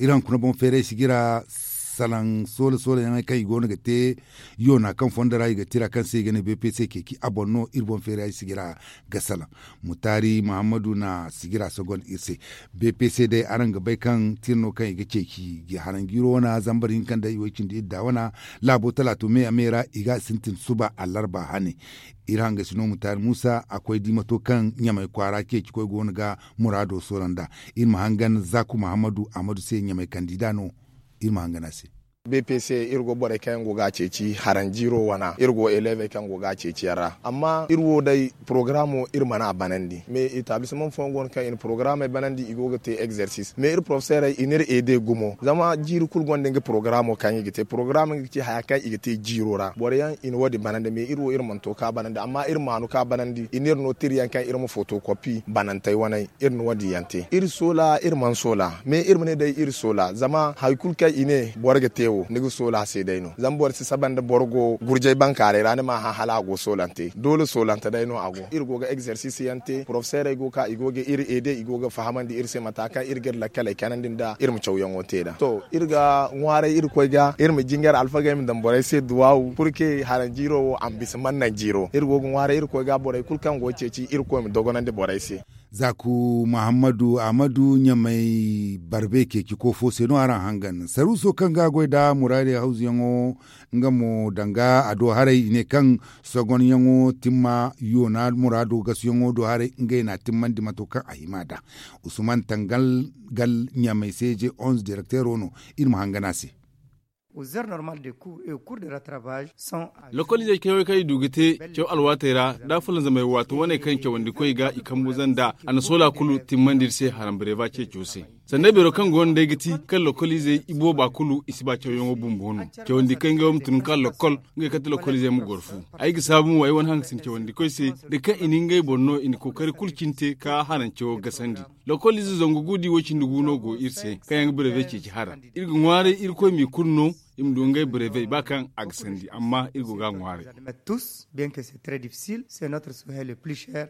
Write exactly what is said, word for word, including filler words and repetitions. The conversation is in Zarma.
Iri hunkuna boŋ feeray sijira salaŋ soola soola yaŋey kaŋ i go no ga te yoona kaŋ fondo ra i ga tira kaŋ se i ga ne bpc ceeci a boŋ no iri boŋ feeray sijira ga salaŋ. Mutaari muhammadu na sijira sogon iri se. Bpc day araŋ ga bay kaŋ tira no kaŋ i ga ceeci haranjiiro wana zambar hinka nda i way cindi idda wana laabo talaatu me a me ra i ga sintin suba allarba hane. Iri hangasi no mutaari muusa a koy dimato kaŋ ɲamay kwaara ceeci koy go no ga muraado soora nd'a. Iri ma hangan zaaku muhammadu ahmadu se ɲamay kandida no. Iri ma hangan a se. Bpc iri go borey kaŋ yaŋ go ga a ceeci haranjiiro wana iri go elevey kaŋ go ga a ceeci yaŋ ra amma iri wo day porogaraamo iri mana a banandi mais etablisement fooyaŋ go no kaŋ i na porogaraamey banandi i go ga te egzersis mais iri porofeserey i n'iri ede gumo zama jiiri kulu gonda nga porogaraamo kaŋ i ga te porogaraamo nga ga ci haya kaŋ i ga te jiiro ra boro yaŋ i na wo- din banandi mais iri wo iri mana to ka banandi amma iri maanu ka banandi i n'iri no tira yaŋ kaŋ iri ma fotokopi banantey waney. Iri na wo- din yaŋ te iri soola iri mana soola mais iri ma ne day iri soola zama hari kulu kaŋ i ne boro ga te wo ni ga soola se day no zama boro si saba nda boro go gurjay bankaaray ra ni ma a hã hala a go soolante doole soolante day no a go iri go ga egzersis yaŋ te porofeserey go ga ka i go ga iri ede i go ga fahamandi iri se mata kaŋ iri ga iri lakkaley kanandi nda iri ma cawyaŋo te nd'a to iri ga ŋwaaray irkoy ga iri ma jingar alfagey ma daŋ borey se duwaawu purke haranjiiro wo a ma bisa mannaŋ jiiro iri go ga ŋwaaray irkoy ga borey kulu kaŋ go ga ceeci irkoy ma dogonandi borey se. Zaaku muhammadu ahmadu ɲamay barbe ceeci ko fo se no araŋ hangan saruuso kaŋ ga a goy nda muraadey hawzuyaŋo nga mo danga a do haray i ne kaŋ sogonyaŋo timma yoona muraado gasuyaŋo do haray ngey n'a timmandi mato kaŋ a hima nd'a. Usman tangal gal ɲamay seeje onze direkteero no. Iri ma hangan a se. Lokoliizey cawey kaŋ i du ga te caw alwaatey ra da fulanzamay waato wane kaŋ cawandikoy ga i kambu zanda a na soola kulu timmandi iri se haram bareeba ceeco se. Sanda beero kaŋ go no day ga ti kaŋ lokoliizey i booba kulu i si ba cawyaŋo bumbo no. Cawandi kaŋ ngey wo ma tun ka lokol ngey kaŋ ti lokoliizey ma goro fu. Ay ga saabu mo ay wane haŋ ga sinda cawandikoy se da kaŋ i na ngey boŋ no i na kookari kulu cine te ka harancewo gasandi. Lokoliize zangu gu da i wo cindi gu no go iri se kaŋ yaŋ ga bareebey ceeci hara. Iri ga ŋwaaray irkoy m'i kulu no i ma du ngey bareebey ba kaŋ a ga sandi amma iri go ga a ŋwaaray. Tous bien que c'est très difficile c'est notre souhait le plus cher.